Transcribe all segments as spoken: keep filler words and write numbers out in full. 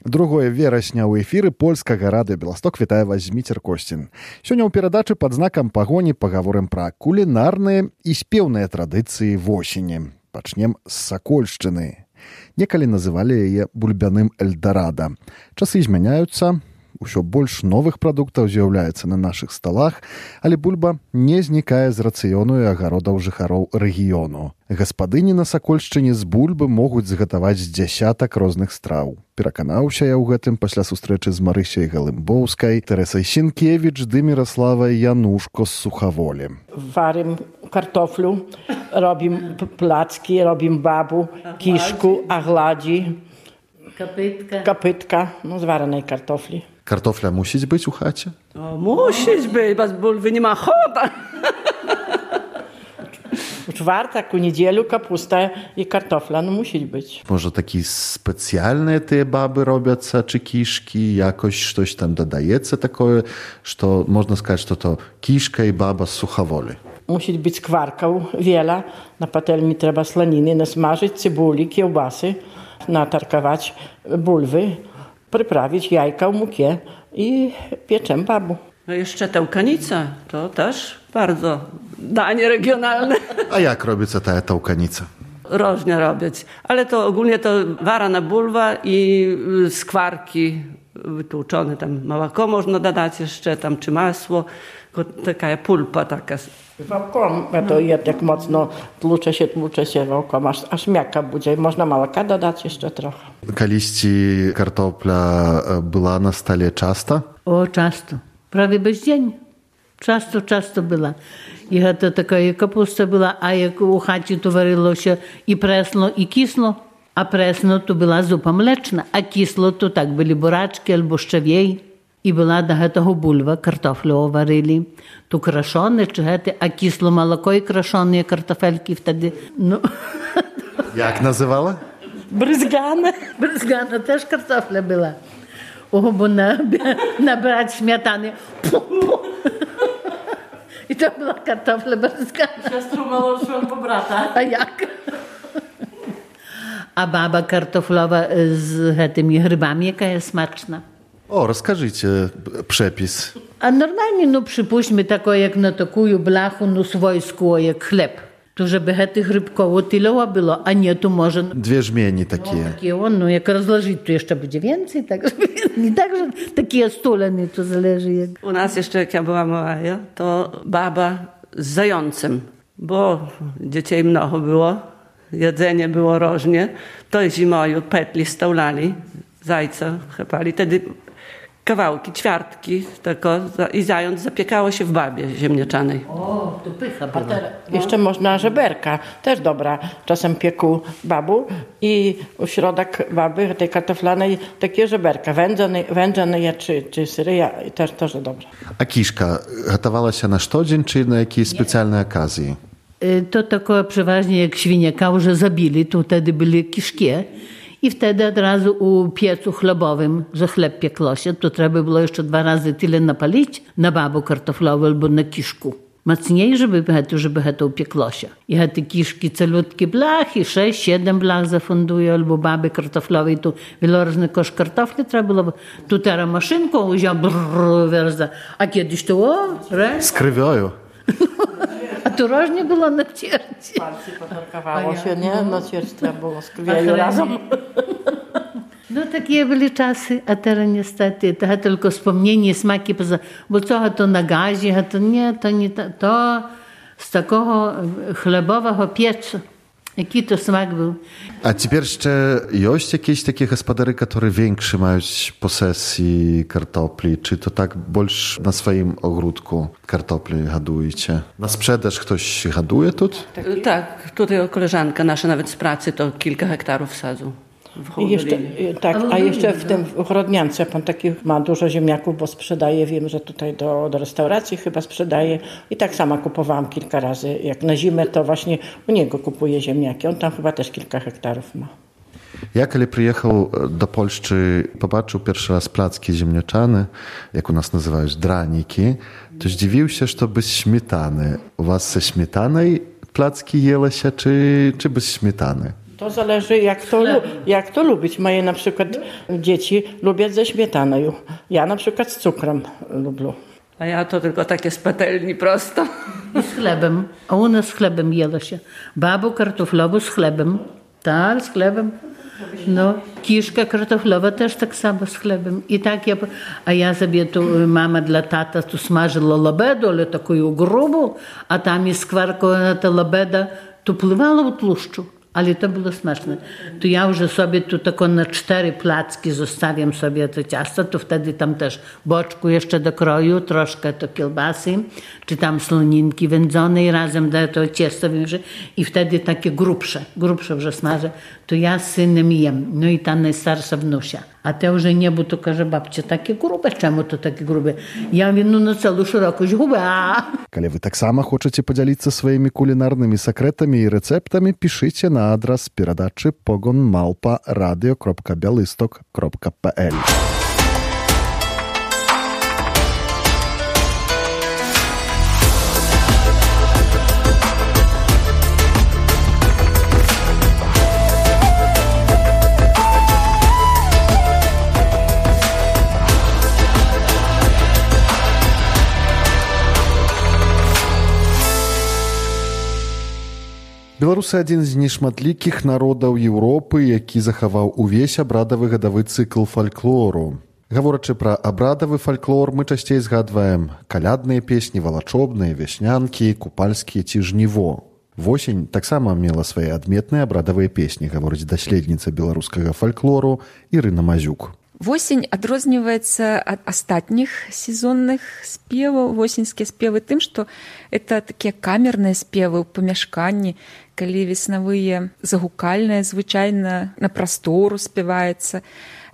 Другое верасня ў эфіры польскага радыё Беласток вітае вас Зміцер Косцін. Сёння ў перадачы пад знакам пагоні пагаворым пра кулінарныя і спеўныя традыцыі восені. Пачнем з Сакольшчыны. Некалі называлі яе бульбяным эльдарадо. Часы змяняюцца, усё больш новых прадуктаў з'яўляецца на нашых сталах, але бульба не знікае з рацыёну і агародаў жыхароў рэгіёну. Гаспадыні на Сакольшчыне з бульбы могуць згатаваць з дзясятак розных страў. Пераканаўся я ў гэтым пасля сустрэчы з Марысяй Галымбоўскай, Тэрэсай Сінкевіч ды Міраславай Янушко з Сухаволі. Варим картофлю, робім плацки, робім бабу, кішку, агладі, Капитка. капитка, ну, з вареної картофлі. Картофля мусіць быць у хаце? O, musisz być, bez bulwy nie ma chota. У czwartek, у неділю капуста і картофля, ну, мусить бути. Może такі спецыяльныя тыя бабы робяцца, чи кішкі, якось штось там дадаецца такое, што можна сказаць, што то кішка і баба з Сухаволі. Мусить бути скваркаў віла, на пательні треба сланіни, насмажить цибулі, кiełbasy, natarkować bulwy, przyprawić jajka w mukie i pieczem babu. No jeszcze tałkanica, to też bardzo danie regionalne. A jak robicie ta tałkanica? Różnie robić, ale to ogólnie to warana bulwa i skwarki wytłuczone, tam małako można dodać jeszcze, tam czy masło, taka pulpa taka. Wałkom, to jest jak mocno tłucze się, tłucze się wałkom, aż, aż miaka będzie. Można małaka dodać jeszcze trochę. Kaliści kartopla była na stole często? O, często. Prawie bez dzień. Często, często była. I to taka kapusta była, a jak u chacie to waryło się i presno, i kislo. A presno to była zupa mleczna, a kislo to tak byli buraczki albo szczewiej. I była do tego bulwa, kartofle waryli. Tu kraszone, czy hety, a kislo молоко i kraszone kartofelki wtedy, no. Jak nazywała? Bryzgane. Bryzgana też kartofla była. O, bo na, nabrać śmietany. I to była kartofla bryzgana. Siostrą małżą po brata. A jak? A baba kartoflowa z tymi grzybami, jaka jest smaczna. O, rozkażycie przepis. A normalnie, no przypuśćmy, tako jak na taką blachu, no swojsku, jak chleb. To żeby tych rybkowo tyle było, a nie tu może... Dwie żmieni takie. No, takie on, no jak rozłożyć, to jeszcze będzie więcej, tak, nie tak, że takie stuleny, to zależy jak... U nas jeszcze, jak ja była mała, to baba z zającem, bo dzieci mnoho było, jedzenie było różnie, to zimою petli staulali, zajca chapali, wtedy kawałki, ćwiartki tylko i zając zapiekało się w babie ziemniaczanej. O, to pycha była. Jeszcze można żeberka, też dobra. Czasem pieku babu i u środek baby, tej kartoflanej, takie żeberka, wędzone, wędzone czy, czy syryja, też też dobre. A kiszka gotowała się na sztodzień, czy na jakiejś specjalnej okazji? To tako przeważnie jak świniaka już zabili, to wtedy byli kiszkie. I wtedy od razu u piecu chlebowym, że chleb piekło się, to trzeba było jeszcze dwa razy tyle napalić na babu kartoflową albo na kiszku. Mocniej, żeby, żeby to upiekło się. I te kiszki celutkie blachy, sześć, siedem blach zafundują, albo baby kartoflowej, tu wieloróżny kosz kartofli trzeba było. Tu teraz maszynką wziął, brrr, werza. A kiedyś to o, re? Z krwią. A tu różnie było na cierci. Palce potarkawało się, nie? Na cierci trzeba było z krwią razem. No takie były czasy, a teraz niestety to tylko wspomnienie, smaki, poza, bo co to na gazie, a to nie, to nie, to, to z takiego chlebowego piecu. Jaki to smak był. A teraz jeszcze jest jakieś takie gospodary, które większe mają posesji kartofli? Czy to tak больше na swoim ogródku kartofli hodujecie? Na sprzedaż ktoś hoduje tu? Tak, tak, tutaj koleżanka nasza nawet z pracy to kilka hektarów sadzu. I jeszcze, tak, a jeszcze w tym w Ochrodniance pan takich ma dużo ziemniaków, bo sprzedaje, wiem, że tutaj do, do restauracji chyba sprzedaje i tak sama kupowałam kilka razy. Jak na zimę, to właśnie u niego kupuję ziemniaki. On tam chyba też kilka hektarów ma. Ja, kiedy przyjechał do Polski, popatrzył pierwszy raz placki ziemniaczane, jak u nas nazywają draniki, to zdziwił się, że to bez śmietany. U was ze śmietanej placki jelo się, czy, czy bez śmietany? To zależy, jak to, jak to lubić. Moje na przykład dzieci lubią ze śmietaną. Ja na przykład z cukrem lubię. A ja to tylko takie z patelni prosto. I z chlebem. A u nas z chlebem jelo się. Babu kartoflową z chlebem. Tak, z chlebem. No, kiszka kartoflowa też tak samo z chlebem. I tak ja, a ja sobie tu, mama dla tata tu smażyła labedę, ale taką grubą, a tam jest skwarkowана ta labeda, tu pływała u tłuszczu. Ale to było smaczne. To ja już sobie tu tylko na cztery placki zostawiam sobie to ciasto, to wtedy tam też boczku jeszcze do kroju, troszkę to kiełbasy, czy tam słoninki wędzonej razem do to ciasto i wtedy takie grubsze, grubsze już smażę. To ja z synem jem. No i ta najstarsza wnusia. A te już nie, bo to każe babcia, takie grube, czemu to takie grube? Ja mówię, no na całą szerokość guby. Калі вы таксама хочаце падзяліцца сваімі кулінарнымі сакрэтамі і рэцэптамі, пішыце на адрас перадачы погон малпа радыё кропка бялысток кропка пл. Беларусы адзін з нешматлікіх народаў Еўропы, які захаваў увесь абрадавы гадавы цыкл фальклору. Гаворачы пра абрадавы фальклор, мы часцей згадваем калядныя песні, валачобныя, вяснянкі, купальскія ці жніво. Восень таксама мела свае адметныя абрадавыя песні, гаворыць даследніца беларускага фальклору Ірына Мазюк. Восень адрозніваецца ад астатніх сезонных спеваў, восеньскія спевы тым, што это такія камерныя спевы ў памяшканні, калі веснавыя загукальныя звычайна на прастору спяваецца,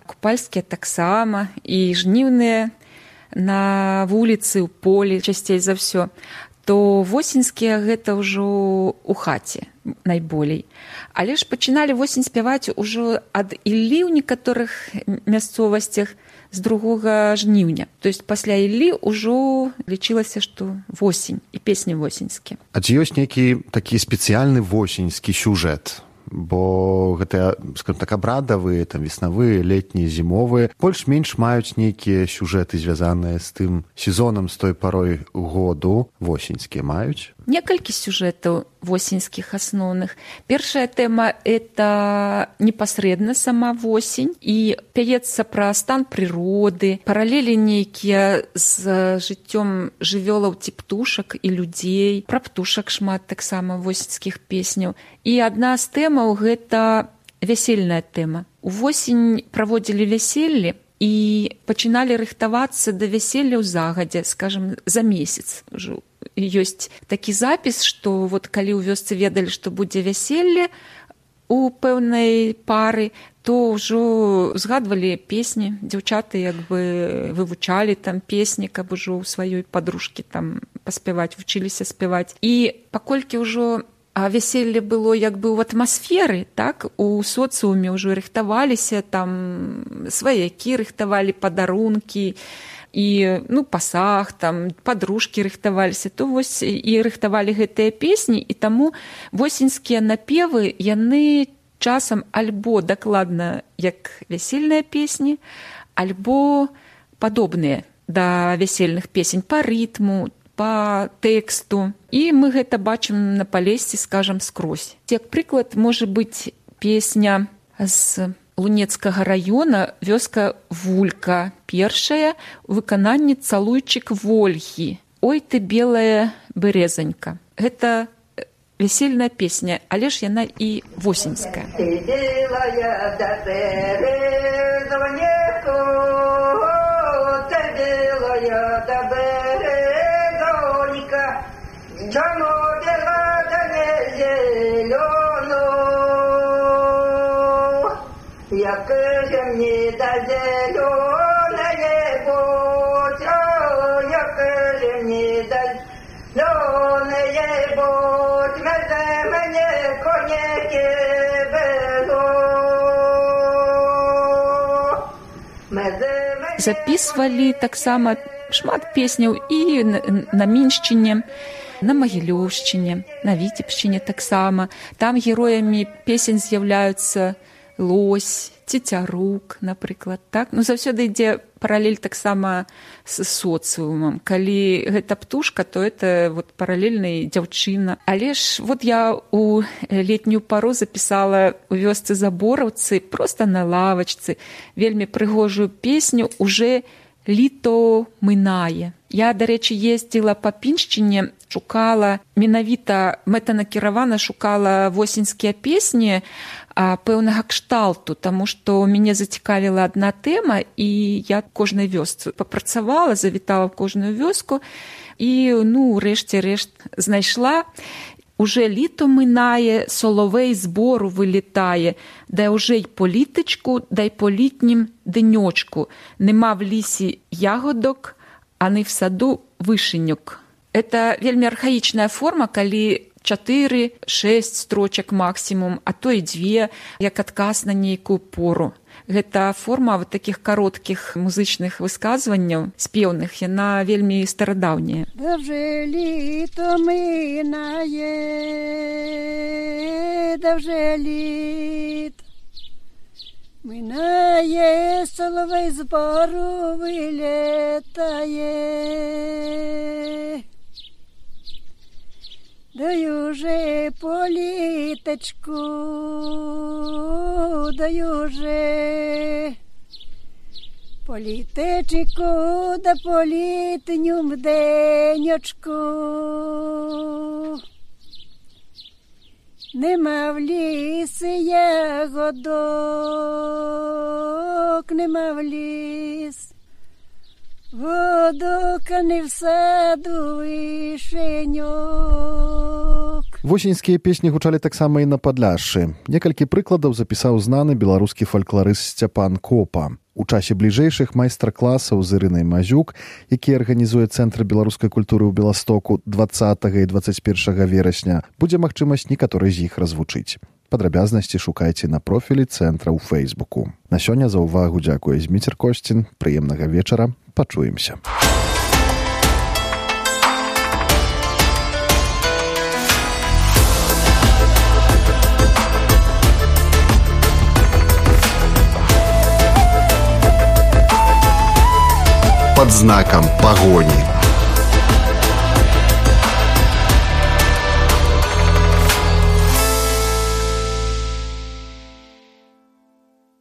купальскія таксама і жніўныя на вуліцы, ў полі часцей за ўсё, то восеньскія гэта ўжо ў хаце найболей. Але ж пачыналі восень спяваць ужо ад Іллі ў некаторых мясцовасцях з другога жніўня. То есть пасля Іллі ўжо лічылася, што восень і песні восеньскія. А ці ёсць нейкі такі спецыяльны восеньскі сюжэт? Бо гэтыя, скажем так, абрадавыя, там, веснавыя, летнія, зімовыя, больш-менш маюць нейкія сюжэты, звязаныя з тым сезонам, з той парой году. Восеньскія маюць? Некалькі сюжэтаў восеньскіх асноўных. Першая тэма – это непасрэдна сама восень і пяецца пра стан прыроды, паралелі нейкія з жыццём жывёлаў ці птушак і людзей. Пра птушак шмат таксама восеньскіх песняў. І адна з тэмаў – гэта вясельная тэма. Увосень праводзілі вяселлі і пачыналі рыхтавацца да вяселля ў загадзе, скажам, за месяц ўжо. Ёсць такі запіс, што вот калі ў вёсцы ведалі, што будзе вяселле у пэўнай пары, то ўжо згадвалі песні, дзяўчаты як бы вывучалі там песні, каб ужо ў сваёй падружкі там паспяваць, вучыліся спяваць. І паколькі ўжо вяселле было як бы ў атмасферы, так, у соцыуме ўжо рыхтаваліся, там сваякі рыхтавалі падарункі, і ну, пасаг, там, падружкі рыхтаваліся, то вось і рыхтавалі гэтыя песні, і таму восеньскія напевы, яны часам альбо дакладна як вясельныя песні, альбо падобныя да вясельных песень па рытму, па тэксту. І мы гэта бачым на Палесці, скажам, скрозь. Як прыклад, можа быць песня з Лунецкага раёна, вёска Вулька, першая у выкананні «Цалуйчык Вольгі». «Ой ты, белая бярэзанька». Гэта весельная песня, але ж яна і восеньская. Ты белая да бярэзанька, ты белая да бярэзанька, чаму белая да не зелёна? Як же мне да зелёное будь, як же мне да зелёное будь, мезе мне конеки веду. Записывали таксама шмат песняў і на Міншчыне. на Магілёўшчыне, на Віцебшчыне таксама. Там героямі песень з'яўляюцца лось, цецярук, напрыклад, так? Ну, заўсёды ідзе паралель таксама з соцыумам. Калі гэта птушка, то это вот паралельная дзяўчына. Але ж вот я у летнюю пару запісала у вёсцы Забораўцы, проста на лавачцы, вельмі прыгожую песню «Уже літо минає». Я, до речі, ездила по Піншчині, шукала, менавіта мэтанакіравана шукала восеньскія песні а, пэўнага кшталту, таму што мяне зацікавіла адна тэма, і я кожнай вёсцы папрацавала, завітала в кожную вёску, і, ну, рэшце рэшт знайшла. Уже літо минає, соловей з бору вилітає, дай уже й по літочку, дай по літнім деньочку. Нема в лісі ягодок, а не в саду вишеньок. Это вельмі архаічная форма, калі чатыры-шэсць строчак максімум, а то і дзве, як адказ на нейкую пору. Гэта форма вот таких кароткіх музычных высказванняў, спеўных, яна вельмі старадаўняя. Давже літо минає, давже літ минає, соловей з бору вилітає. Даю же політочку, даю же політечку, да політнюм денечку. Нема в лісі ягодок, нема в ліс. Водока не в саду вишеньок. Восеньскія песні гучалі таксама і на Падляшшы. Некалькі прыкладаў запісаў знаны беларускі фалькларыст Сцяпан Копа. У часе бліжэйшых майстар-класаў з Ірынай Мазюк, які арганізуе Цэнтр беларускай культуры ў Беластоку дваццатага і дваццаць першага верасня, будзе магчымасць некаторы з іх развучыць. Падрабязнасці шукайце на профілі цэнтра ў Фэйсбуку. На сёння за ўвагу дзякуе Зміцер Косцін. Прыемнага вечара. Пачуемся. Под знаком погони.